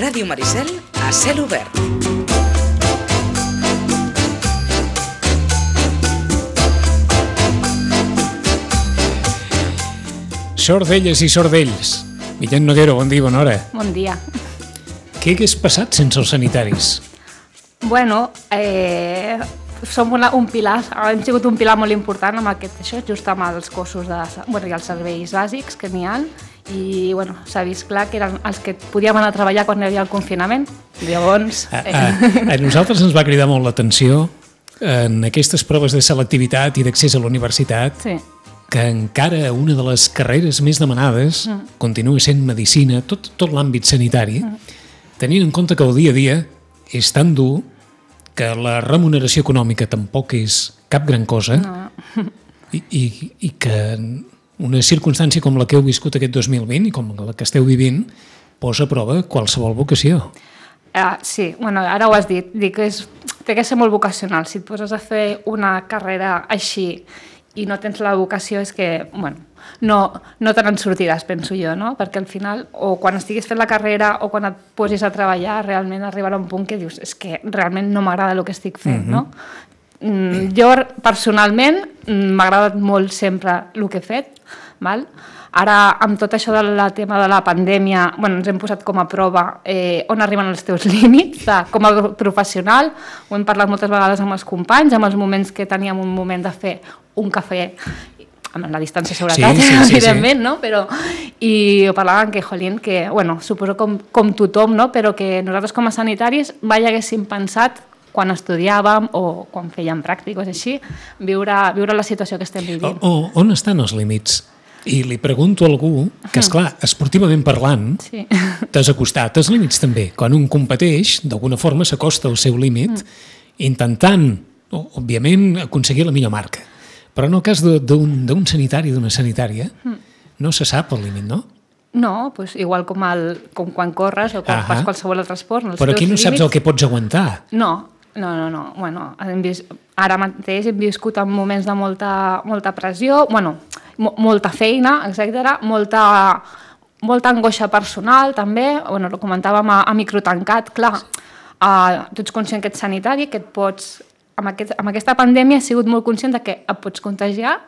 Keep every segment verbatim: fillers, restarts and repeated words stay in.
Ràdio Maricel a cel obert. Sordelles i sordells. Guillem Noguero, bon dia, bona hora. Bon dia. Què hagués passat sense els sanitaris? Bueno, eh, som una, un pilar, hem sigut un pilar molt important amb aquest, això, just amb els cossos de, bueno, i els serveis bàsics que n'hi ha, i bueno, s'ha vist clar que eren els que podíem anar a treballar quan hi havia el confinament. Llavors... Eh... A, a, a nosaltres ens va cridar molt l'atenció en aquestes proves de selectivitat i d'accés a la universitat, sí, que encara una de les carreres més demanades mm. continua sent medicina, tot, tot l'àmbit sanitari, mm. tenint en compte que el dia a dia és tan dur que la remuneració econòmica tampoc és cap gran cosa, no. i, i, i que una circumstància com la que heu viscut aquest dos mil vint i com la que esteu vivint posa a prova qualsevol vocació. Uh, sí, bueno, ara ho has dit, dic que és, té que ser molt vocacional. Si et poses a fer una carrera així i no tens la vocació, és que, bueno, no, no te n'en sortiràs, penso jo, no? Perquè al final, o quan estiguis fent la carrera o quan et posis a treballar, realment arribarà un punt que dius, és que realment no m'agrada el que estic fent, uh-huh. no? Mm, jo, personalment, m'ha agradat molt sempre el que he fet, val? Ara, amb tot això del tema de la pandèmia, bueno, ens hem posat com a prova eh, on arriben els teus límits de, com a professional. Ho hem parlat moltes vegades amb els companys, amb els moments que teníem un moment de fer un cafè amb la distància de seguretat, sí, sí, sí, evidentment, sí. no? Però, i ho parlàvem que, jolín, que, bueno, suposo com, com tothom, no? Però que nosaltres com a sanitaris mai haguéssim pensat quan estudiàvem o quan fèiem pràctiques així, viure, viure la situació que estem vivint. O, o, on estan els límits? I li pregunto a algú que, esclar, esportivament parlant, sí. t'has acostat als límits també. Quan un competeix, d'alguna forma s'acosta al seu límit, mm. intentant, òbviament, aconseguir la millor marca. Però en el cas d'un sanitari, d'una sanitària, mm. no se sap el límit, no? No, doncs igual com, el, com quan corres o quan fas qualsevol altre esport. Però aquí no límits... saps el que pots aguantar. No, no, no. no. Bueno, hem vist, ara mateix hem viscut en moments de molta, molta pressió, bueno, molta feina, etcètera, molta, molta angoixa personal també, bueno, ho comentàvem a, a microtancat, clar, uh, tu ets conscient que ets sanitari, que et pots, amb, aquest, amb aquesta pandèmia he sigut molt conscient de que et pots contagiar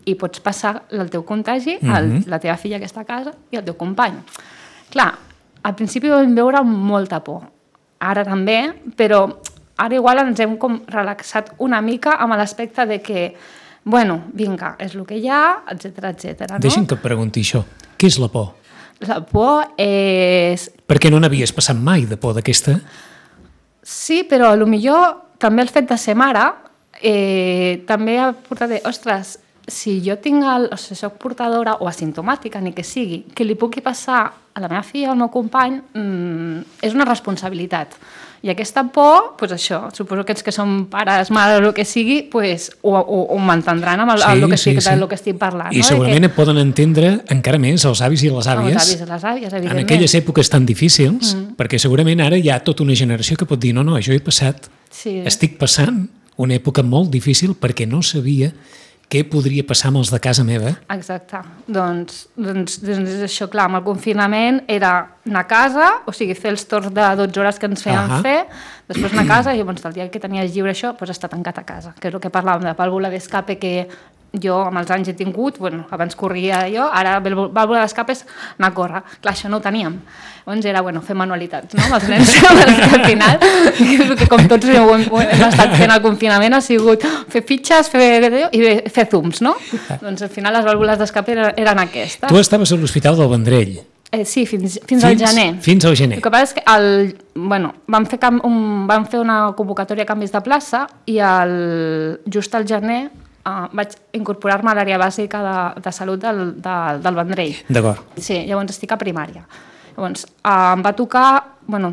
i pots passar el teu contagi a mm-hmm. la teva filla que està a casa i el teu company. Clar, al principi ho vam veure amb molta por, ara també, però ara igual ens hem com relaxat una mica amb l'aspecte de que bueno, vinga, és el que hi ha, etcètera, etcètera. No? Deixa'm que et pregunti això. Què és la por? La por és... Perquè no n'havies passat mai de por d'aquesta? Sí, però potser també el fet de ser mare eh, també ha portat de, ostres, si jo tinc el, o sigui, soc portadora o asimptomàtica, ni que sigui, que li pugui passar a la meva filla o al meu company, mmm, és una responsabilitat. I aquesta por, doncs això, suposo que els que són pares, mares o el que sigui, pues, ho, ho, ho m'entendran amb el, sí, el, que estic, sí, sí. el que estic parlant. I no? segurament que... poden entendre encara més els avis i les àvies, els avis i les àvies, evidentment. En aquelles èpoques tan difícils, mm. perquè segurament ara hi ha tota una generació que pot dir no, no, jo he passat, sí. estic passant una època molt difícil perquè no sabia què podria passar amb els de casa meva. Exacte. Doncs, doncs, doncs això, clar, amb el confinament era anar a casa, o sigui, fer els torns de dotze hores que ens feien uh-huh. fer, després anar a casa i llavors el dia que tenies lliure això, doncs estar tancat a casa, que és el que parlàvem de vàlvula d'escape que jo amb els anys he tingut, bueno, abans corria jo, ara vàlvula d'escape és anar a córrer. Clar, això no ho teníem. Llavors era, bueno, fer manualitats, no?, amb els nens, perquè al final, que com tots hem, hem estat fent el confinament, ha sigut fer fitxes, fer, i fer zooms, no? Doncs al final les vàlvules d'escape eren aquestes. Tu estaves a l'Hospital del Vendrell. Eh, sí, fins, fins, fins al gener. Fins al gener. El que passa és que el, bueno, vam, fer cam, un, vam fer una convocatòria a canvis de plaça i el, just al gener Uh, vaig incorporar-me a l'àrea bàsica de, de salut del, de, del Vendrell. D'acord. Sí, llavors estic a primària. Llavors, uh, em va tocar, bueno,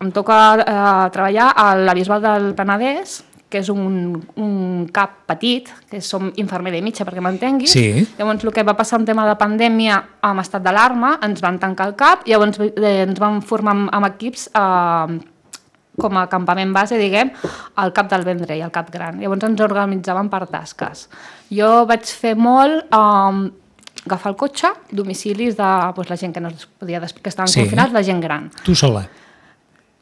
em toca uh, treballar a la Bisbal del Penedès, que és un, un cap petit, que som infermera i mitja, perquè m'entenguis. Sí. Llavors, el que va passar en tema de pandèmia amb estat d'alarma, ens van tancar el cap, i llavors eh, ens van formar amb, amb equips eh, com a campament base, diguem, al cap del Vendrell, al cap gran. Llavors ens organitzàvem per tasques. Jo vaig fer molt eh, agafar el cotxe, domicilis de doncs, la gent que no es podia, que estaven sí. confinats, la gent gran. Tu sola?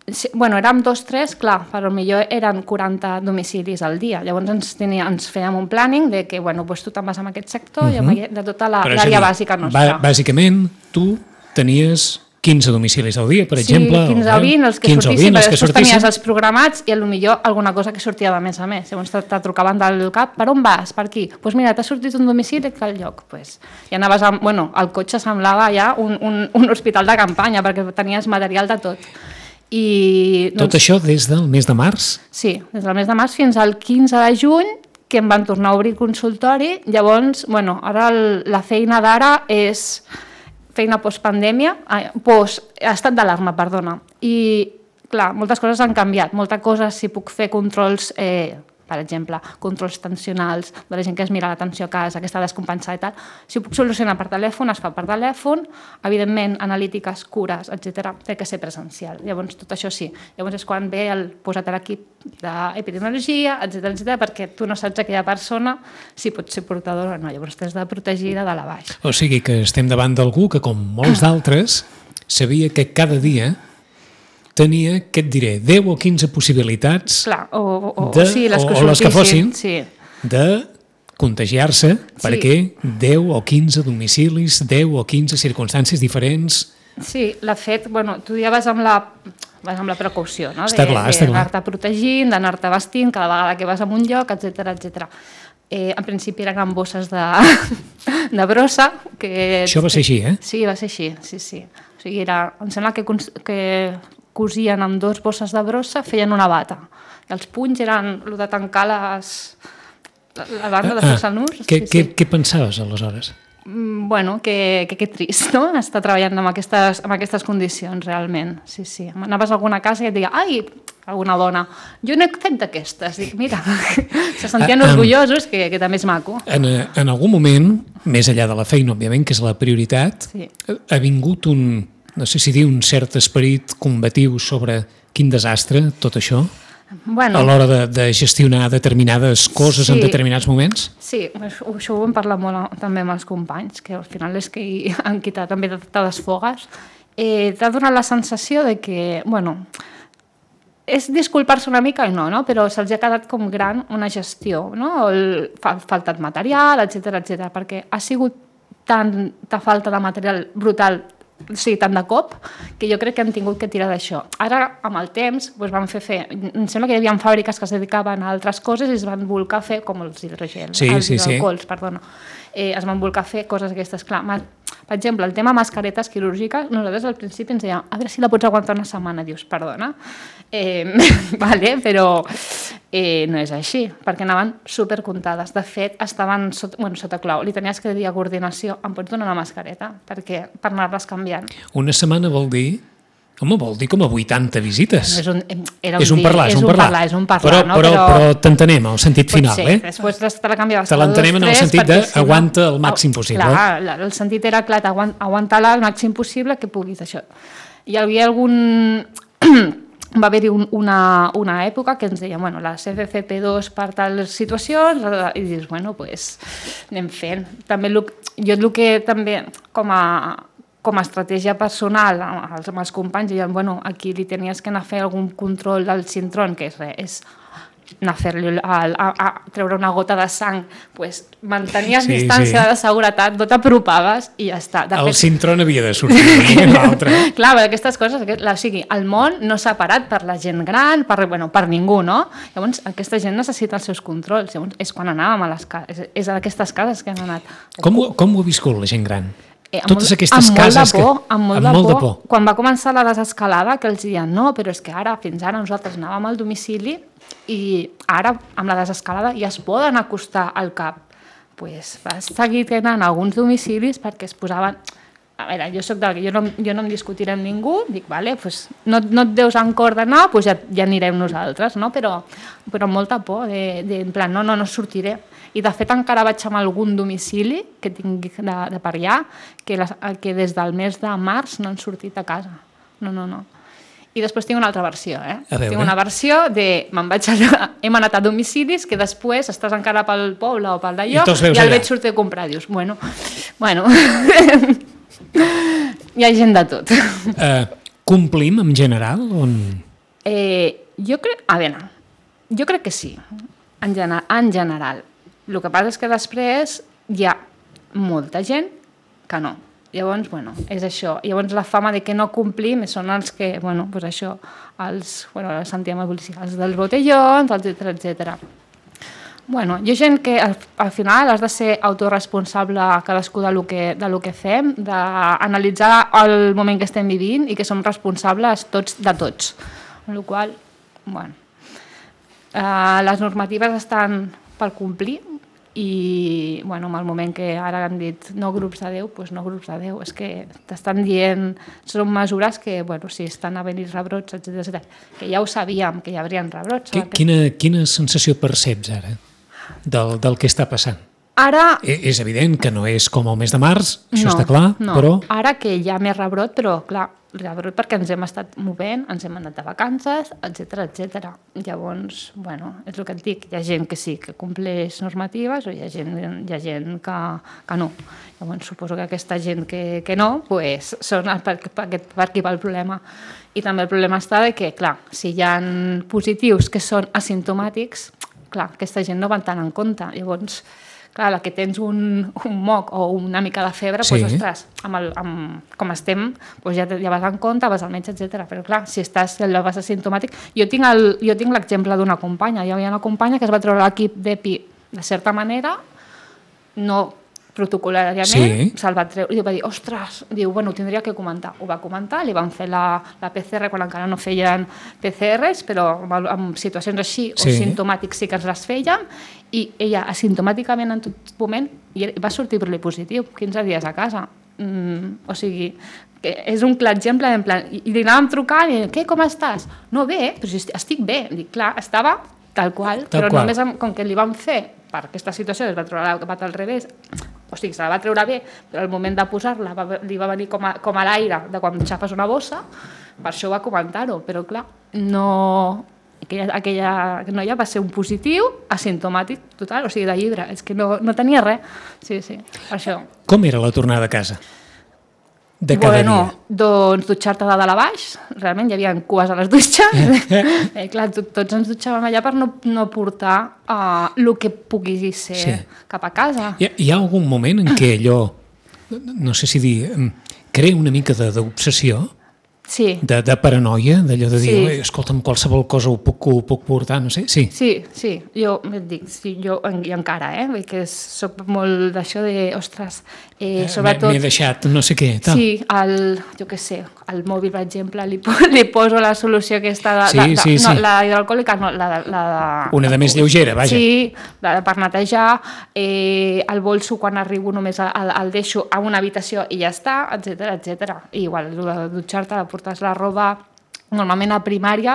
Sí, bueno, érem dos, tres, clar, però millor eren quaranta domicilis al dia. Llavors ens, tenia, ens fèiem un planning de que, bueno, doncs tu te'n vas en aquest sector uh -huh. i de tota l'àrea bàsica nostra. Bàsicament, tu tenies quinze domicilis al dia, per sí, exemple. Sí, quinze o vint, els que quinze sortissin, els però que després sortissin. tenies els programats i potser alguna cosa que sortia de més a més. Llavors te, te trucaven del cap, per on vas? Per aquí? Doncs pues mira, t'ha sortit un domicili a tal lloc. Pues, i anaves amb, bueno, el cotxe semblava ja un, un, un hospital de campanya perquè tenies material de tot. I, doncs, tot això des del mes de març? Sí, des del mes de març fins al quinze de juny, que em van tornar a obrir consultori. Llavors, bueno, ara el, la feina d'ara és feina postpandèmia, post, estat d'alarma, perdona. I, clar, moltes coses han canviat. Moltes coses, si puc fer controls, eh, per exemple, controls tensionals de la gent que es mira l'atenció a casa, que està descompensada i tal, si ho puc solucionar per telèfon, es fa per telèfon, evidentment, analítiques, cures, etcètera, té que ser presencial. Llavors, tot això sí. Llavors és quan ve el posat a l'equip d'epidemiologia, etcètera, etcètera, perquè tu no saps aquella persona si pot ser portadora o no. Llavors t'has de protegir de dalt a baix. O sigui que estem davant d'algú que, com molts d'altres, sabia que cada dia tenia, què et diré, deu o quinze possibilitats Clar, o, o, de, sí, les que, o, o les que fossin sí. de contagiar-se, sí. perquè deu o quinze domicilis, deu o quinze circumstàncies diferents. Sí, l'ha fet, bueno, tu ja vas amb la, vas amb la precaució, no? Està clar, de, està clar. D'anar-te protegint, d'anar-te vestint cada vegada que vas a un lloc, etcètera, etcètera. Eh, en principi eren amb bosses de, de brossa. Que, Això va ser així, eh? Sí, va ser així, sí, sí. O sigui, era, em sembla que, que cosien amb dos bosses de brossa, feien una bata. I els punys eren el de tancar les, la banda de fer-se el nus. Què, sí, què, sí. què pensaves aleshores? Bueno, que, que, que trist, no? Estar treballant amb aquestes, amb aquestes condicions, realment. Sí, sí. Anaves a alguna casa i et deia, ai, alguna dona, jo n'he fet d'aquestes. Dic, mira, se sentien ah, orgullosos, que, que també és maco. En, en algun moment, més enllà de la feina, òbviament, que és la prioritat, sí. ha vingut un, no sé si dir, un cert esperit combatiu sobre quin desastre, tot això? Bueno, a l'hora de, de gestionar determinades coses sí, en determinats moments? Sí, això, això ho hem parlat molt també amb els companys, que al final és que han quitat també te desfogues. Eh, T'ha donat la sensació de que, bueno, és disculpar-se una mica i no, no? Però se'ls ha quedat com gran una gestió, no? El, fa, faltat material, etcètera, etcètera, perquè ha sigut tanta falta de material brutal, sí, tant de cop, que jo crec que han tingut que tirar d'això. Ara, amb el temps, doncs van fer fer... Em sembla que hi havia fàbriques que es dedicaven a altres coses i es van volcar a fer, com els hidrogels, sí, els sí, hidroalcohols, sí. perdona. Eh, es van volcar a fer coses aquestes. Clar, per exemple, el tema mascaretes quirúrgiques, nosaltres al principi ens dèiem, a veure si la pots aguantar una setmana. Dius, perdona, eh, vale, però eh, no és així, perquè anaven supercomptades. De fet, estaven sota, bueno, sota clau. Li tenies que dir a coordinació, em pots donar una mascareta? Perquè, per anar-les canviant. Una setmana vol dir... Home, vol dir com a vuitanta visites. És un, era un, és un parlar, és és un un parlar. parlar, és un parlar, però, no? Però, però, però t'entenem, al sentit final, sí, eh? Després te la canviaves te l'entenem en el sentit d'aguanta el màxim possible. Clar, el sentit era, clar, aguantar-la el màxim possible que puguis, això. Hi havia algun... va haver-hi un, una, una època que ens deia, bueno, les F F P dos per tals situacions, i dius, bueno, doncs anem fent. També el, jo el que també, com a, com a estratègia personal, amb els, amb els companys, deien, bueno, aquí li tenies que anar a fer algun control del cintrón, que és res, és anar a fer-li a, a, a treure una gota de sang, pues, mantenies sí, distància sí. de seguretat, no t'apropaves i ja està. De el fet, cintró n'havia de sortir l'altre. Clar, aquestes coses, o sigui, el món no s'ha parat per la gent gran, per, bueno, per ningú, no? Llavors, aquesta gent necessita els seus controls. Llavors, és quan anàvem a les cases, és, és a aquestes cases que hem anat. Com, com ho ha viscut la gent gran? Eh, Totes molt, aquestes amb cases... Molt de por, que, amb molt, amb de, molt por. de por. Quan va començar la desescalada, que els deien, no, però és que ara, fins ara, nosaltres anàvem al domicili i ara, amb la desescalada, ja es poden acostar al cap. Pues, vas seguir tenint alguns domicilis perquè es posaven... A veure, jo soc del que jo no, jo no em discutiré amb ningú, dic, vale, pues, no, no et deus en cor d'anar, pues ja, ja anirem nosaltres, no? Però, però amb molta por, de, de, en plan, no, no, no sortiré. I de fet encara vaig amb algun domicili que tinc de, de per allà, que, les, que des del mes de març no han sortit a casa. No, no, no. I després tinc una altra versió, eh? Tinc una versió de, me'n vaig anar, hem anat a domicilis, que després estàs encara pel poble o pel d'allò, i, i el veig sortir a comprar. Dius, bueno, bueno... Hi ha gent de tot. Uh, complim en general? On... Eh, jo crec... A veure, jo crec que sí, en, gener, en general. El que passa és que després hi ha molta gent que no. Llavors, bueno, és això. Llavors la fama de que no complim són els que, bueno, pues això, els, bueno, els sentíem a policia, els dels botellons, etcètera, etcètera. Bueno, hi ha gent que al, al final has de ser autorresponsable cadascú de lo que, de lo que fem, d'analitzar el moment que estem vivint i que som responsables tots de tots. Amb la qual cosa, bueno, eh, les normatives estan per complir i, bueno, en el moment que ara han dit no grups de deu, doncs no grups de deu. És que t'estan dient, són mesures que, bueno, si estan a venir rebrots, etcètera, etcètera, que ja ho sabíem, que hi haurien rebrots. Que, quina, quina sensació perceps ara del, del que està passant? Ara... És evident que no és com el mes de març, això no, està clar, no. però... Ara que hi ha més rebrot, però clar, rebrot perquè ens hem estat movent, ens hem anat de vacances, etcètera, etcètera. Llavors, bueno, és el que et dic, hi ha gent que sí, que compleix normatives, o hi ha gent, hi ha gent que, que no. Llavors, suposo que aquesta gent que, que no, pues, són per, per, per aquí va el problema. I també el problema està de que, clar, si hi ha positius que són asimptomàtics, clar, aquesta gent no van tant en compte. Llavors, clar, la que tens un, un moc o una mica de febre, sí. doncs, ostres, amb el, amb, com estem, doncs ja, ja vas en compte, vas al metge, etcètera. Però clar, si estàs, allò vas asimptomàtic... Jo tinc el, jo tinc l'exemple d'una companya. Hi havia una companya que es va treure l'equip d'EPI de certa manera, no protocolàriament, sí. Se'l va treure, i va dir, ostres, diu, bueno, ho tindria que comentar. Ho va comentar, li van fer la, la P C R quan encara no feien P C Rs, però en situacions així, sí. O simptomàtics sí que ens les feien, i ella asimptomàticament en tot moment va sortir per positiu, quinze dies a casa. Mm, o sigui, que és un clar exemple, en plan, i, i li anàvem trucant, i què, com estàs? No, bé, però si estic bé. Dic, clar, estava tal qual, tal però qual. Només amb, com que li van fer per aquesta situació, es va treure la bat al revés, o sigui, se la va treure bé, però al moment de posar-la va, li va venir com a, com a l'aire de quan xafes una bossa, per això va comentar-ho, però clar, no... Aquella, aquella noia va ser un positiu asimptomàtic total, o sigui, de llibre, és que no, no tenia res, sí, sí, per això. Com era la tornada a casa? De cada bueno, dia? Doncs dutxar-te de dalt a baix, realment hi havia cues a les dutxes, eh, clar, tots ens dutxàvem allà per no, no portar uh, el que pugui ser sí. Cap a casa. Hi ha, hi ha algun moment en què allò, no sé si dir, crea una mica d'obsessió? Sí. De, de paranoia, d'allò de dir, sí. Escolta'm, qualsevol cosa ho puc, ho puc portar, no sé, sí. Sí, sí, jo et dic, sí, jo i encara, eh, perquè soc molt d'això de, ostres, eh, sobretot... M'he deixat no sé què, tal. Sí, el, jo què sé, al mòbil, per exemple, li, li poso la solució aquesta de... Sí, de, de sí, no, sí. La hidroalcohòlica, no, la, la de... Una de més lleugera, vaja. Sí, la de per netejar, eh, el bolso quan arribo només el, el deixo a una habitació i ja està, etcètera, etcètera. I igual, de dutxar-te, de portar la roba, normalment a primària,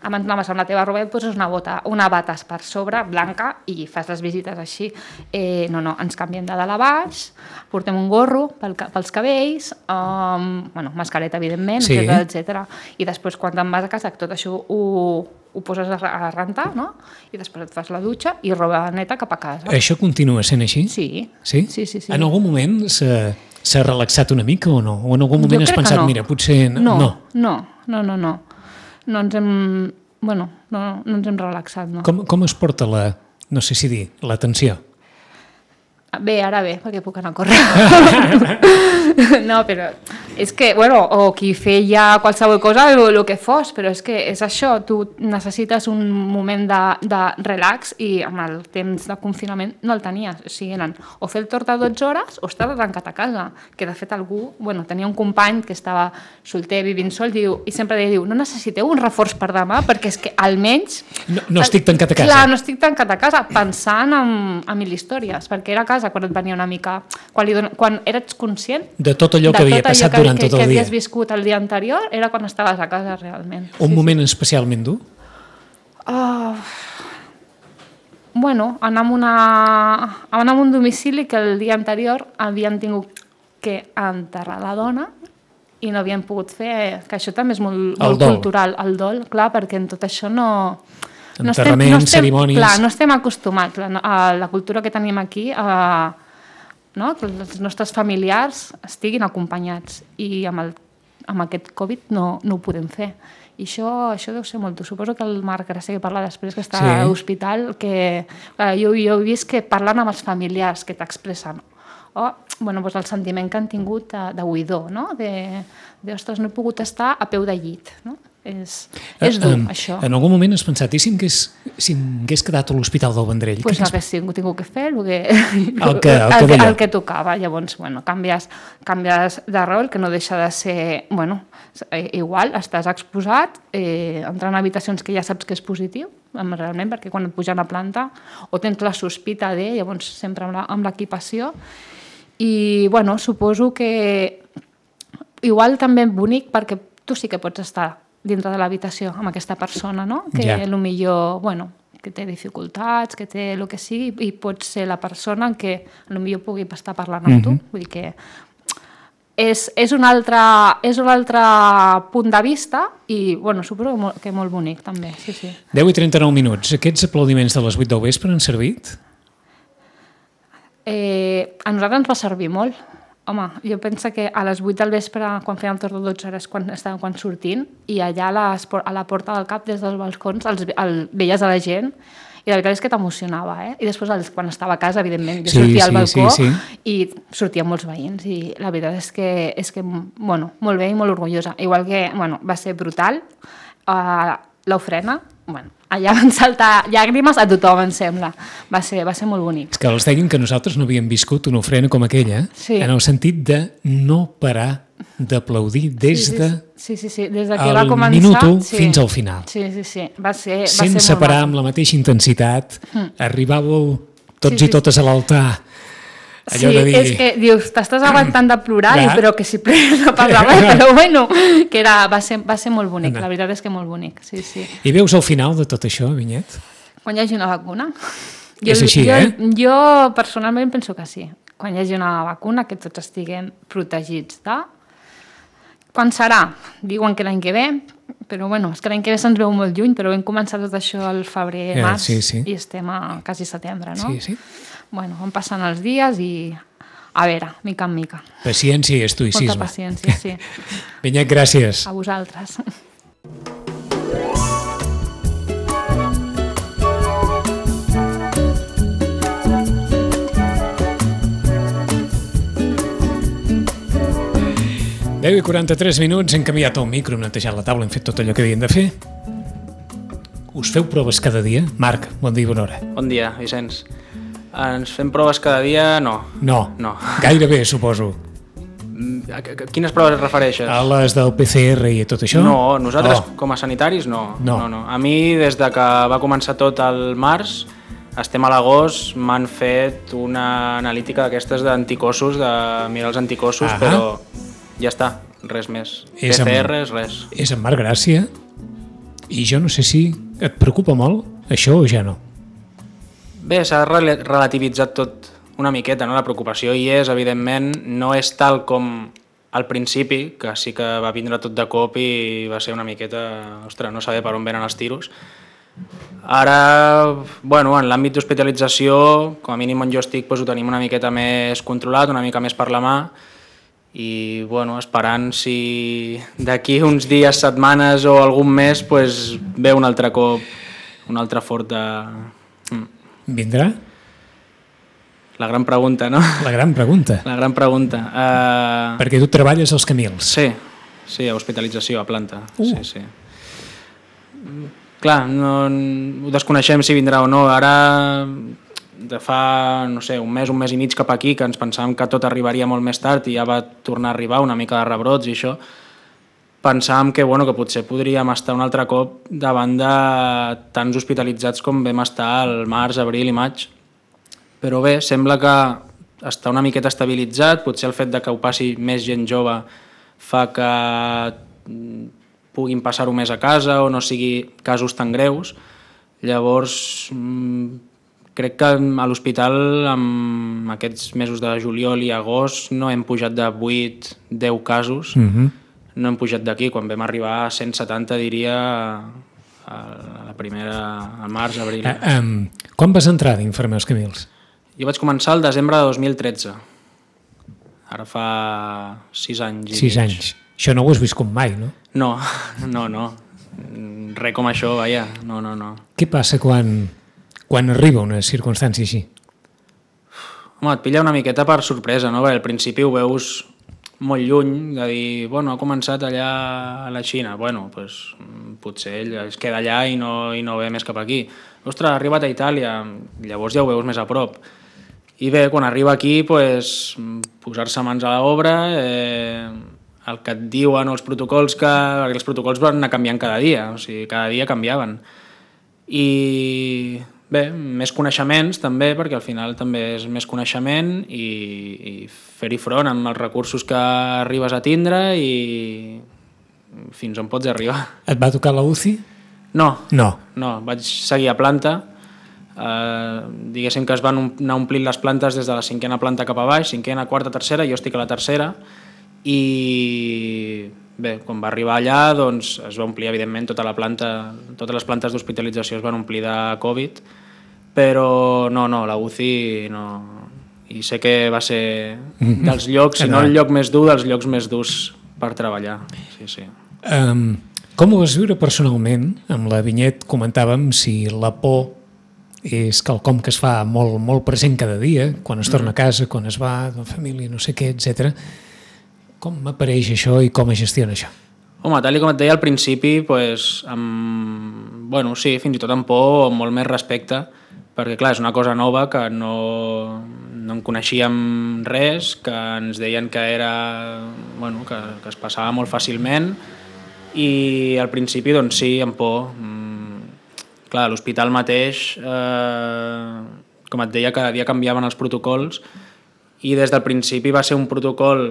abans anaves amb la teva roba i et poses una bota, una bata per sobre, blanca, i fas les visites així. Eh, no, no, ens canviem de dalt a baix, portem un gorro pel, pels cabells, um, bueno, mascareta, evidentment, sí. etcètera, etcètera. I després, quan te'n vas a casa, tot això ho, ho poses a, a rentar, no? I després et fas la dutxa i roba neta cap a casa. Això continua sent així? Sí. Sí? Sí, sí, sí. En algun moment s'ha... S'ha relaxat una mica o no? O en algun moment has pensat, no. Mira, potser... No, no, no, no, no, no. No ens hem... Bueno, no, no ens hem relaxat, no. Com, com es porta la... No sé si dir, la tensió? Bé, ara bé, perquè puc anar a córrer. No, però és que, bueno, o qui feia qualsevol cosa, o el que fos, però és que és això, tu necessites un moment de, de relax i amb el temps de confinament no el tenies. O sigui, eren o fer el torn de dotze hores o estar tancat a casa, que de fet algú, bueno, tenia un company que estava solter, vivint sol, diu, i sempre deia, diu, no necessiteu un reforç per demà, perquè és que almenys... No, no estic tancat a casa. Clar, no estic tancat a casa, pensant en, en mil històries, perquè era a casa quan et venia una mica... Quan, li don... quan eres conscient... De tot allò que havia passat que, durant que, tot el que dia. havies viscut el dia anterior, era quan estaves a casa, realment. Un sí, moment sí. especialment dur? Uh, bueno, anar a, una, anar a un domicili que el dia anterior havien tingut que enterrar la dona i no havien pogut fer... Que això també és molt, molt cultural, el dol, clar, perquè en tot això no... Enterraments, no estem, no estem, cerimònies... Clar, no estem acostumats. La, a la cultura que tenim aquí... A, no? Que els nostres familiars estiguin acompanyats i amb el, amb aquest Covid no, no ho podem fer. I això, això deu ser molt dur. Suposo que el Marc Gràcia, que parla després, que està sí. a l'hospital, que jo, jo he vist que parlen amb els familiars que t'expressen o bueno, doncs el sentiment que han tingut de, de buidor, no? de, de ostres, no he pogut estar a peu de llit, no? És, és dur, uh, això. En algun moment has pensat, i si m'hagués si quedat a l'Hospital del Vendrell? Doncs pues hagués tingut que fer el que, el que, el el que, que, el que tocava. Llavors, bueno, canvies, canvies de rol, que no deixa de ser, bueno, igual, estàs exposat, eh, entrant en habitacions que ja saps que és positiu, realment, perquè quan et pugen a planta, o tens la sospita de, llavors sempre amb l'equipació, i, bueno, suposo que igual també bonic, perquè tu sí que pots estar dintre de l'habitació amb aquesta persona, no? Que ja. Potser, bueno, que té dificultats, que té el que sigui, i pot ser la persona en què potser pugui estar parlant amb mm-hmm. tu. Vull dir que és, és, un altre, és un altre punt de vista i, bueno, suposo que molt, que molt bonic, també. Sí, sí. deu i trenta-nou minuts. Aquests aplaudiments de les vuit del vespre han servit? Eh, a nosaltres ens va servir molt. Home, jo penso que a les vuit del vespre, quan fèiem torn de dotze hores, quan estàvem quan sortint, i allà a, les, a la porta del cap, des dels balcons, els, el, veies a la gent, i la veritat és que t'emocionava, eh? I després, els, quan estava a casa, evidentment, jo sí, sortia al balcó sí, sí. i sortien molts veïns, i la veritat és que, és que bueno, molt bé i molt orgullosa. Igual que, bueno, va ser brutal, uh, l'ofrena, bueno, allà van saltar llàgrimes a tothom, em sembla. Va ser, va ser molt bonic. És que els deien que nosaltres no havíem viscut una ofrena com aquella, sí. en el sentit de no parar d'aplaudir des de sí, sí, sí. Des de que va començar, minut u sí. fins al final. Sí, sí, sí. Va ser, va sense ser parar molt amb la mateixa intensitat, mm. arribàveu tots sí, sí, i totes a l'altar. Allò sí, de dir... és que dius, t'estàs aguantant de plorar, i, però que si plores no passa res, però bueno, que era, va, ser, va ser molt bonic, la veritat és que molt bonic, sí, sí. I veus el final de tot això, Vinyet? Quan hi hagi una vacuna. Jo, és així, jo, eh? Jo personalment penso que sí, quan hi hagi una vacuna, que tots estiguem protegits de... Quan serà? Diuen que l'any que ve, però bueno, és que l'any que ve se'ns veu molt lluny, però vam començar tot això al febrer, yeah, març, sí, sí. i estem a quasi setembre, no? Sí, sí. Bueno, van passant els dies i, a veure, mica en mica. Paciència i estoïcisme. Molta paciència, sí. Vinyet, gràcies. A vosaltres. deu i quaranta-tres minuts, hem canviat el micro, hem netejat la taula, hem fet tot allò que havien de fer. Us feu proves cada dia? Marc, bon dia i bona hora. Bon dia, Vicenç. Ens fem proves cada dia? No. No? No. Gairebé, suposo. A quines proves et refereixes? A les del P C R i tot això? No, nosaltres oh. com a sanitaris no. No. no, no. A mi, des de que va començar tot el març, estem a l'agost, m'han fet una analítica d'aquestes d'anticossos, de mirar els anticossos, ah però ja està, res més. P C R, res. És en Marc Gràcia, i jo no sé si et preocupa molt això o ja no. Bé, s'ha relativitzat tot una miqueta, no? La preocupació hi és, evidentment, no és tal com al principi, que sí que va vindre tot de cop i va ser una miqueta, ostres, no saber per on venen els tiros. Ara, bueno, en l'àmbit d'hospitalització, com a mínim on jo estic, doncs ho tenim una miqueta més controlat, una mica més per la mà, i bueno, esperant si d'aquí uns dies, setmanes o algun mes pues, ve un altre cop, un altre fort de... Mm. Vindrà? La gran pregunta, no? La gran pregunta. La gran pregunta. Uh... Perquè tu treballes als Camils. Sí, sí, a hospitalització, a planta. Uh. Sí, sí. Clar, no, ho desconeixem si vindrà o no. Ara, de fa, no sé, un mes, un mes i mig cap aquí, que ens pensàvem que tot arribaria molt més tard i ja va tornar a arribar una mica de rebrots i això, pensàvem que, bueno, que potser podríem estar un altre cop davant de tants hospitalitzats com vam estar al març, abril i maig. Però bé, sembla que està una miqueta estabilitzat, potser el fet de que ho passi més gent jove fa que puguin passar-ho més a casa o no sigui casos tan greus. Llavors, crec que a l'hospital, en aquests mesos de juliol i agost, no hem pujat de vuit a deu casos, mm-hmm. no hem pujat d'aquí. Quan vam arribar a cent setanta, diria, a la primera, al març, abril. Uh, um, quan vas entrar d'infermer als Camils? Jo vaig començar el desembre de dos mil tretze. Ara fa sis anys. Sis anys. Això no ho has viscut mai, no? No, no, no. Res com això, vaja, no, no, no. Què passa quan, quan arriba una circumstància així? Home, et pilla una miqueta per sorpresa, no? Perquè al principi ho veus molt lluny, de dir, bueno, ha començat allà a la Xina, bueno, pues, potser ell es queda allà i no, i no ve més cap aquí. Ostres, ha arribat a Itàlia, llavors ja ho veus més a prop. I bé, quan arriba aquí, pues, posar-se mans a l'obra, eh, el que et diuen els protocols, que, perquè els protocols van anar canviant cada dia, o sigui, cada dia canviaven. I bé, més coneixements també, perquè al final també és més coneixement i, i fer-hi front amb els recursos que arribes a tindre i fins on pots arribar. Et va tocar la U C I? No, no, no, vaig seguir a planta. Uh, diguéssim que es van anar omplint les plantes des de la cinquena planta cap a baix, cinquena, quarta, tercera, jo estic a la tercera, i bé, quan va arribar allà doncs, es va omplir evidentment tota la planta, totes les plantes d'hospitalització es van omplir de Covid, però no, no, la U C I no, i sé que va ser dels llocs, si no el lloc més dur, dels llocs més durs per treballar. Sí, sí. Um, com ho vas viure personalment? Amb la Vinyet comentàvem si la por és quelcom que es fa molt, molt present cada dia, quan es torna a casa, quan es va de la família, no sé què, etcètera. Com apareix això i com es gestiona això? Home, tal com et deia al principi, pues, amb, bueno, sí, fins i tot amb por o amb molt més respecte, perquè clar, és una cosa nova que no, no en coneixíem res, que ens deien que era, bueno, que, que es passava molt fàcilment, i al principi doncs sí, amb por. Clar, a l'hospital mateix, eh, com et deia, cada dia canviaven els protocols i des del principi va ser un protocol,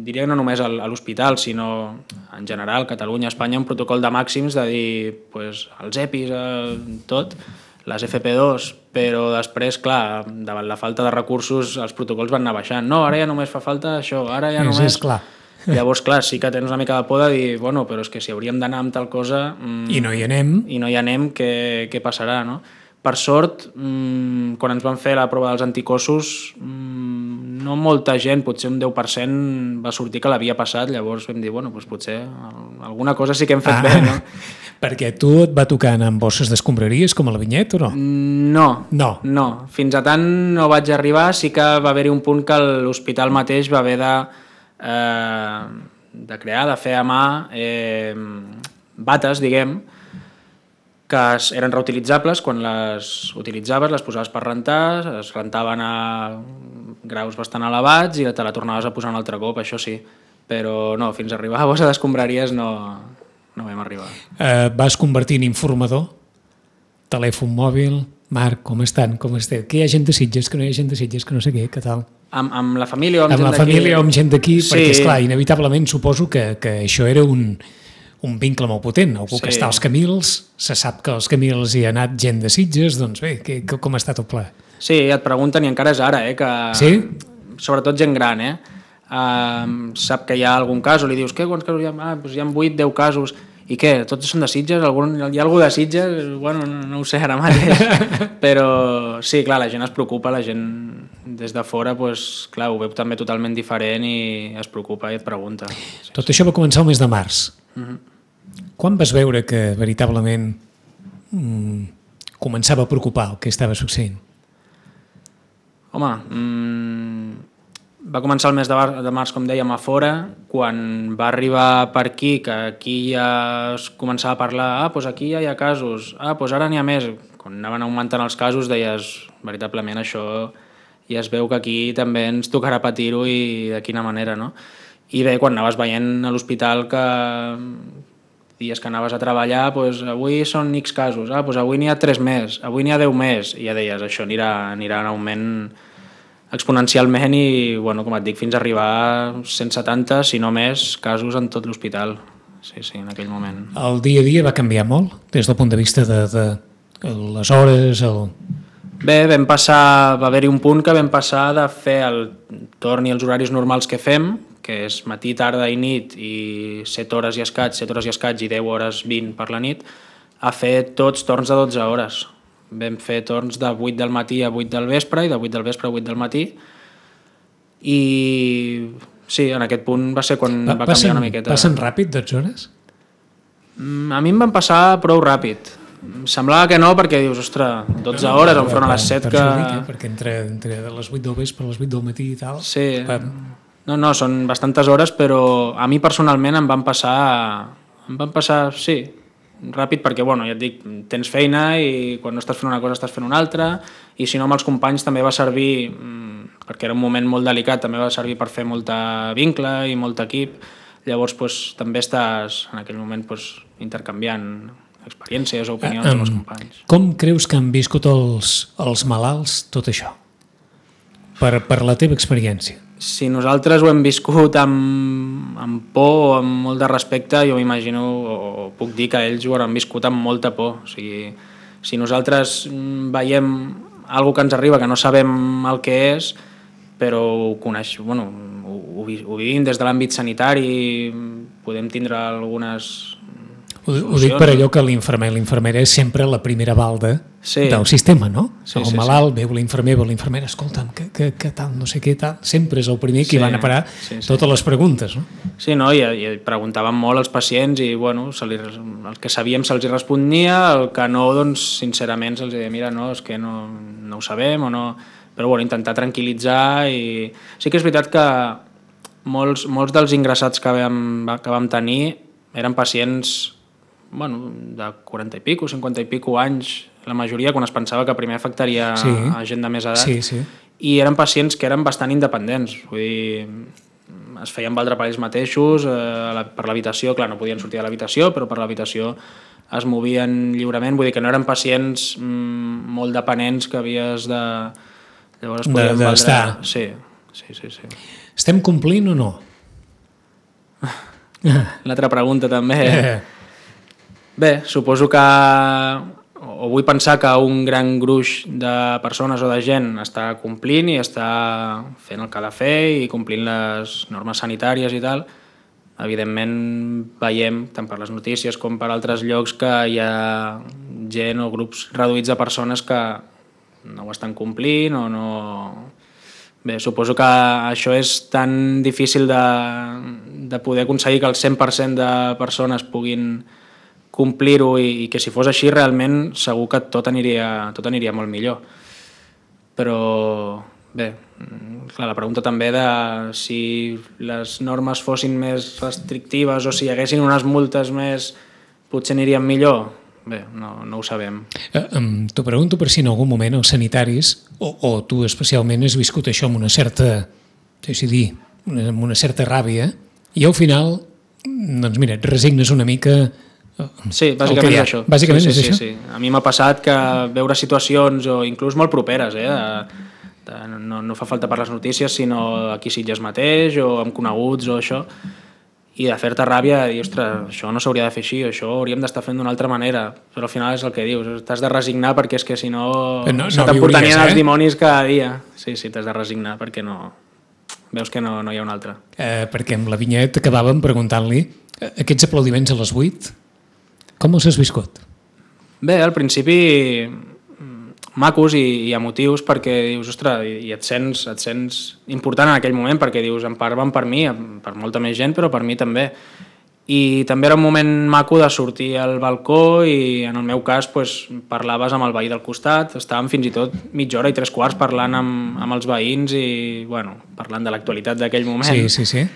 diria que no només a l'hospital, sinó en general, Catalunya, Espanya, un protocol de màxims de dir pues, els EPIs, eh, tot, les F P dos, però després, clar, davant la falta de recursos els protocols van anar baixant. No, ara ja només fa falta això, ara ja només... És clar. Llavors, clar, sí que tens una mica de por de dir, bueno, però és que si hauríem d'anar amb tal cosa... Mmm, I no hi anem. I no hi anem, què, què passarà, no? Per sort, mmm, quan ens van fer la prova dels anticossos, mmm, no molta gent, potser un deu per cent va sortir que l'havia passat, llavors vam dir, bueno, doncs potser alguna cosa sí que hem fet ah, bé, no? Perquè tu et va tocar anar amb bosses d'escombraries com a la Vinyet o no? No, no, no. Fins a tant no vaig arribar, sí que va haver-hi un punt que l'hospital mateix va haver de... Eh, de crear, de fer a mà eh, bates, diguem, que eren reutilitzables quan les utilitzaves, les posaves per rentar, es rentaven a graus bastant elevats i te la tornaves a posar un altre cop, això sí, però no, fins a arribar a bossa d'escombraries no, no vam arribar. Eh, vas convertir en informador? Telèfon mòbil? Marc, com estan? Com esteu? Que hi ha gent de Sitges, que no hi ha gent de Sitges, que no sé què, què tal? Amb, amb la família o amb, amb gent d'aquí? Amb la família o amb gent d'aquí, sí. Perquè, esclar, inevitablement suposo que, que això era un, un vincle molt potent. Algú sí. Que està als Camils, se sap que als Camils hi ha anat gent de Sitges, doncs bé, que, que, com ha estat el pla? Sí, et pregunten, i encara és ara, eh, que... Sí? Sobretot gent gran, eh? Uh, sap que hi ha algun cas, o li dius, què, quants casos hi ha? Ah, doncs hi ha vuit, deu casos... I què? Tots són de Sitges? Algun, hi ha algú de Sitges? Bueno, no, no ho sé ara mateix. Però sí, clar, la gent es preocupa, la gent des de fora, pues, clar, ho veu també totalment diferent i es preocupa i et pregunta. Sí, Tot sí. Això va començar el mes de març. Uh-huh. Quan vas veure que veritablement mm, començava a preocupar el que estava succeint? Home, mmm... va començar el mes de març, com dèiem, a fora, quan va arribar per aquí, que aquí ja es començava a parlar, ah, doncs aquí ja hi ha casos, ah, doncs ara n'hi ha més. Quan anaven augmentant els casos deies, veritablement això ja es veu que aquí també ens tocarà patir-ho i de quina manera, no? I bé, quan anaves veient a l'hospital que dies que anaves a treballar, doncs avui són X casos, ah, doncs avui n'hi ha tres més, avui n'hi ha deu més, i ja deies, això anirà, anirà en augment exponencialment i, bueno, com et dic, fins a arribar a cent setanta, si no més, casos en tot l'hospital. Sí, sí, en aquell moment. El dia a dia va canviar molt, des del punt de vista de, de les hores? El... Bé, vam passar, va haver-hi un punt que vam passar de fer el torn i els horaris normals que fem, que és matí, tarda i nit, i set hores i escaig, set hores i escaig i deu hores vint per la nit, a fer tots torns de dotze hores. Vam fer torns de vuit del matí a vuit del vespre i de vuit del vespre a vuit del matí i sí, en aquest punt va ser quan va, va passen, canviar una miqueta. Passen ràpid dotze hores? A mi em van passar prou ràpid. Semblava que no, perquè dius, ostres, dotze hores, enfront a les set que... Dic, eh? Perquè entre, entre les vuit del vespre a les vuit del matí i tal... Sí, no, no, són bastantes hores, però a mi personalment em van passar... Em van passar, sí, ràpid, perquè, bueno, ja et dic, tens feina i quan no estàs fent una cosa estàs fent una altra, i si no amb els companys també va servir, perquè era un moment molt delicat, també va servir per fer molta vincle i molt equip, llavors pues, també estàs en aquell moment pues, intercanviant experiències o opinions amb els companys. Com creus que han viscut els, els malalts tot això? Per, per la teva experiència. Si nosaltres ho hem viscut amb, amb por o amb molt de respecte, jo m'imagino, o puc dir que ells ho han viscut amb molta por. O sigui, si nosaltres veiem alguna que ens arriba que no sabem el que és, però ho coneix, bueno, ho, ho, ho vivim des de l'àmbit sanitari, podem tindre algunes... Ho, ho dic per allò que l'infermer l'infermera és sempre la primera balda sí. del sistema, no? Sí, el sí, malalt, sí. veu l'infermer, veu l'infermera, escolta'm, que, que, que tal, no sé què, tal. Sempre és el primer que sí, van a parar sí, sí. totes les preguntes, no? Sí, no? I, i preguntàvem molt als pacients i, bueno, se li, el que sabíem se'ls respondia, el que no, doncs, sincerament, se'ls deia, mira, no, és que no, no ho sabem o no... Però, bueno, intentar tranquil·litzar i... Sí que és veritat que molts, molts dels ingressats que vam, que vam tenir eren pacients bueno, de quaranta i pico, cinquanta i pico anys, la majoria quan es pensava que primer afectaria sí. a gent de més edat, sí, sí. i eren pacients que eren bastant independents, vull dir, es feien valdre per ells mateixos, eh, per l'habitació, clar, no podien sortir de l'habitació, però per l'habitació es movien lliurement, vull dir que no eren pacients mm, molt dependents que havies de... Llavors de, d'estar. Valdre... Sí, sí, sí, sí. Estem complint o no? L'altra pregunta també... Eh. Bé, suposo que, o vull pensar que un gran gruix de persones o de gent està complint i està fent el que ha de fer i complint les normes sanitàries i tal. Evidentment veiem, tant per les notícies com per altres llocs, que hi ha gent o grups reduïts de persones que no ho estan complint o no... Bé, suposo que això és tan difícil de, de poder aconseguir que el cent per cent de persones puguin complir-ho i, i que si fos així realment segur que tot aniria, tot aniria molt millor. Però bé, clar, la pregunta també de si les normes fossin més restrictives o si hi haguessin unes multes més potser anirien millor, bé, no, no ho sabem. Eh, T'ho pregunto per si en algun moment els sanitaris, o, o tu especialment, has viscut això amb una certa, deixi dir, una, amb una certa ràbia, i al final, doncs mira, et resignes una mica... Sí, bàsicament és això. Bàsicament sí, és sí, això? Sí, sí. A mi m'ha passat que veure situacions, o inclús molt properes, eh, de, de, no, no fa falta per les notícies, sinó aquí Sitges mateix, o amb coneguts, o això, i de fer-te ràbia, i dir, ostres, això no s'hauria de fer així, això ho hauríem d'estar fent d'una altra manera, però al final és el que dius, t'has de resignar perquè és que si no, no se no t'emportarien eh? els dimonis cada dia. Sí, sí, t'has de resignar perquè no... Veus que no, no hi ha una altra. Eh, perquè amb la Vinyet acabàvem preguntant-li aquests aplaudiments a les vuit, com els has viscut? Bé, al principi macos i, i emotius perquè dius, ostres, i et sents, et sents important en aquell moment perquè dius, en part van per mi, per molta més gent, però per mi també. I també era un moment maco de sortir al balcó i en el meu cas pues, parlaves amb el veí del costat, estàvem fins i tot mitja hora i tres quarts parlant amb, amb els veïns i bueno, parlant de l'actualitat d'aquell moment. Sí, sí, sí.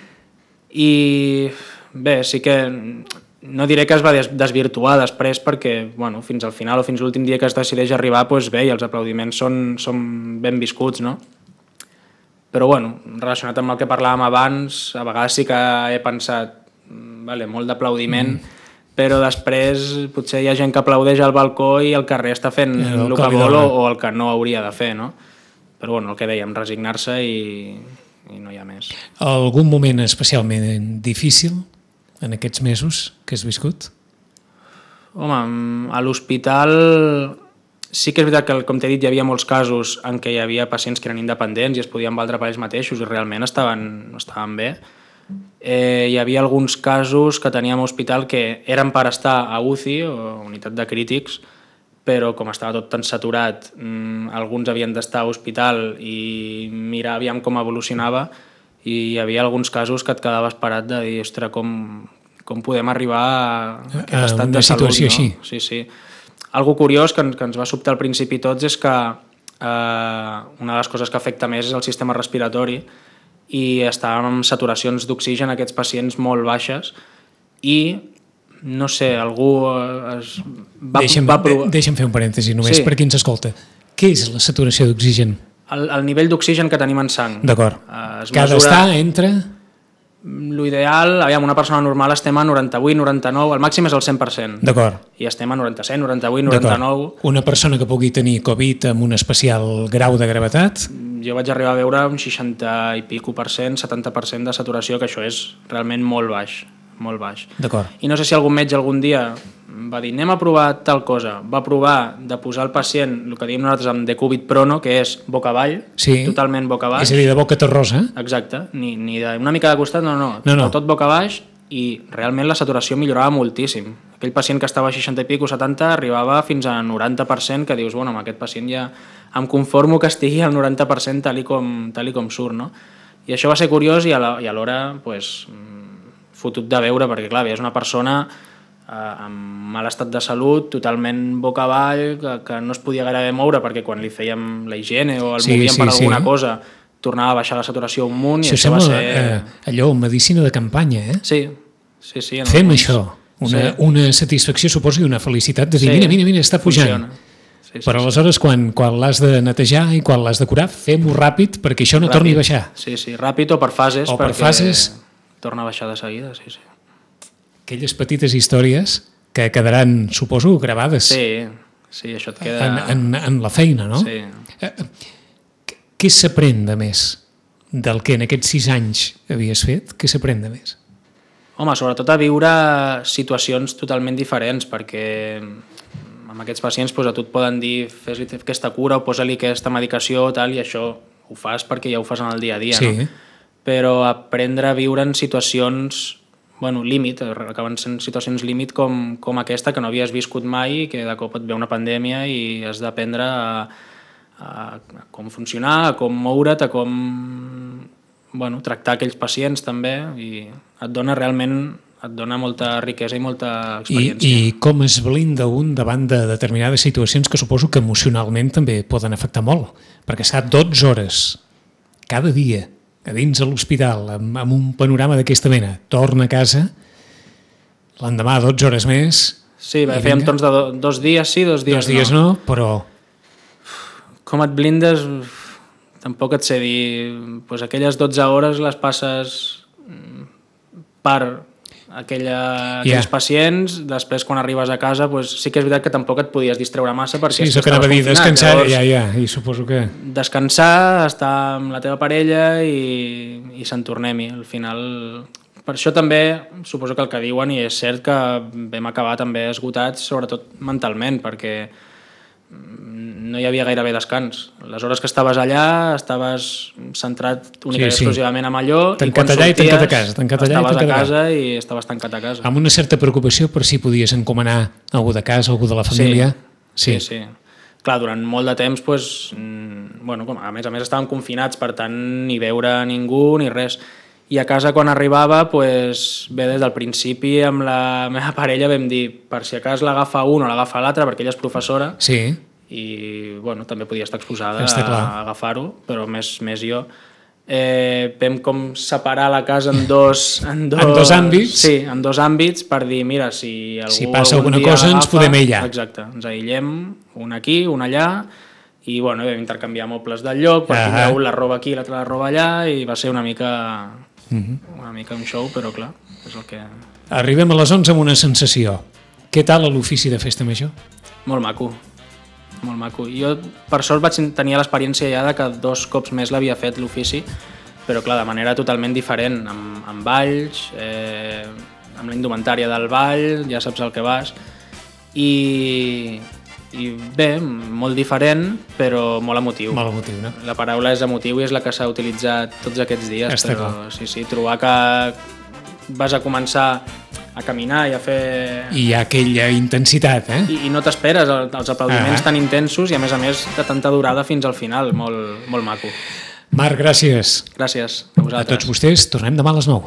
I bé, sí que... No diré que es va desvirtuar després perquè bueno, fins al final o fins l'últim dia que es decideix arribar doncs bé, i els aplaudiments són, són ben viscuts, no? Però bueno, relacionat amb el que parlàvem abans, a vegades sí que he pensat vale, molt d'aplaudiment, mm. però després potser hi ha gent que aplaudeix al balcó i el carrer està fent el, el que vol o, o el que no hauria de fer, no? Però bueno, el que dèiem, resignar-se i, i no hi ha més. Algun moment especialment difícil en aquests mesos que has viscut? Home, a l'hospital sí que és veritat que, com t'he dit, hi havia molts casos en què hi havia pacients que eren independents i es podien valdre per ells mateixos i realment estaven, estaven bé. Eh, hi havia alguns casos que teníem a l'hospital que eren per estar a U C I, o unitat de crítics, però com estava tot tan saturat, mmm, alguns havien d'estar a l'hospital i mirar aviam com evolucionava i hi havia alguns casos que et quedaves parat de dir, ostres, com, com podem arribar a aquest estat de salut, no? Així. Sí, sí. Algo curiós que, que ens va sobtar al principi tots és que eh, una de les coses que afecta més és el sistema respiratori i estàvem amb saturacions d'oxigen aquests pacients molt baixes i no sé, algú es va, deixa'm, va provar... Deixa'm fer un parèntesi només sí. per qui ens escolta. Què és la saturació d'oxigen? El, el nivell d'oxigen que tenim en sang. D'acord. Eh, que ha d'estar entre... L'ideal, aviam, una persona normal estem a noranta-vuit, noranta-nou, el màxim és el cent per cent. D'acord. I estem a noranta-set, noranta-vuit, noranta-nou... Una persona que pugui tenir Covid amb un especial grau de gravetat... Jo vaig arribar a veure un seixanta i pico per cent, setanta per cent de saturació, que això és realment molt baix. molt baix. D'acord. I no sé si algun metge algun dia va dir anem a provar tal cosa, va provar de posar el pacient, el que diem nosaltres amb decúbit prono, que és boca avall, sí. totalment boca baix. És a dir, de boca terrosa. Exacte, ni, ni de una mica de costat, no, no, no, no. tot boca baix, i realment la saturació millorava moltíssim. Aquell pacient que estava a seixanta i pico, setanta, arribava fins a noranta per cent, que dius, bueno, amb aquest pacient ja em conformo que estigui al noranta per cent tal i com, tal i com surt, no? I això va ser curiós i alhora, pues, fotut de veure, perquè clar, és una persona eh, amb mal estat de salut, totalment boca avall, que, que no es podia gairebé moure, perquè quan li fèiem la higiene o el sí, movíem sí, per alguna sí. cosa, tornava a baixar la saturació un munt, això i això va ser... Eh, allò, medicina de campanya, eh? Sí, sí, sí. Fem alguns... això, una, sí. una satisfacció, suposo, i una felicitat de dir, sí, mira, mira, mira, està pujant. Funciona. Sí, sí, però aleshores, sí. quan, quan l'has de netejar i quan l'has de curar, fem-ho ràpid perquè això no ràpid. torni a baixar. Sí, sí, ràpid o per fases, o per perquè fases... torna a baixar de seguida, sí, sí. Aquelles petites històries que quedaran, suposo, gravades. Sí, sí, això et queda... En, en, en la feina, no? Sí. Què s'aprèn de més del que en aquests sis anys havies fet? Què s'aprèn de més? Home, sobretot a viure situacions totalment diferents, perquè amb aquests pacients doncs, a tu et poden dir fes-li aquesta cura o posa-li aquesta medicació tal, i això ho fas perquè ja ho fas en el dia a dia, sí. no? Però aprendre a viure en situacions, bueno, límit, acaben sent situacions límit com, com aquesta que no havies viscut mai i que de cop et ve una pandèmia i has d'aprendre a, a, a com funcionar, a com moure't, a com bueno, tractar aquells pacients també, i et dona realment et dona molta riquesa i molta experiència. I, i com es blinda un davant de determinades situacions que suposo que emocionalment també poden afectar molt, perquè estar dotze hores cada dia a dins de l'hospital amb, amb un panorama d'aquesta mena, torna a casa, l'endemà dotze hores més... Sí, bé, fèiem torns de do, dos dies sí, dos dies, dos dies no. no, però... Com et blindes, tampoc et sé dir... Pues aquelles dotze hores les passes per aquella, aquells yeah. pacients, després quan arribes a casa pues, sí que és veritat que tampoc et podies distreure massa perquè... Sí, això que anava a dir, descansar, llavors, ja, ja, i suposo que... Descansar, estar amb la teva parella i, i se'n tornem-hi. Al final, per això també suposo que el que diuen, i és cert que vam acabar també esgotats, sobretot mentalment, perquè no hi havia gairebé descans. Les hores que estaves allà estaves centrat únicament sí, sí. exclusivament en allò, tancat allà i tancat a casa, tancat allà estaves i tancat a casa i estaves tancat a casa. Amb una certa preocupació per si podies encomanar algú de casa, algú de la família. Sí, sí. sí. Clar, durant molt de temps, pues, bueno, a més a més estàvem confinats, per tant, ni veure ningú ni res. I a casa, quan arribava, pues, bé, des del principi amb la meva parella vam dir, per si a cas l'agafa un o l'agafa l'altre, perquè ella és professora, sí. i bueno, també podia estar exposada Està a, a agafar-ho, però més, més jo. Eh, vam com separar la casa en dos, en dos, en dos àmbits? Sí, en dos àmbits, per dir, mira, si algú si passa alguna dia cosa agafa, ens podem aïllar. Exacte, ens aïllem, un aquí, un allà, i bueno, vam intercanviar mobles del lloc, per aquí ah. la roba aquí, l'altra la roba allà, i va ser una mica... Uh-huh. una mica un show, però clar, és el que... Arribem a les onze amb una sensació. Què tal a l'ofici de festa major? Molt maco, molt maco. Jo, per sort, vaig tenir l'experiència ja de que dos cops més l'havia fet l'ofici, però clar, de manera totalment diferent, amb, amb balls, eh, amb la indumentària del ball, ja saps el que vas, i... i bé, molt diferent, però molt emotiu. Molt emotiu, no? La paraula és emotiu i és la que s'ha utilitzat tots aquests dies, Està però clar. sí, sí, trobar que vas a començar a caminar i a fer... I hi ha aquella intensitat, eh? I, i no t'esperes els aplaudiments ah. tan intensos i a més a més de tanta durada fins al final, molt, molt maco. Marc, gràcies. Gràcies a vosaltres. A tots vostès, tornem demà a les nou.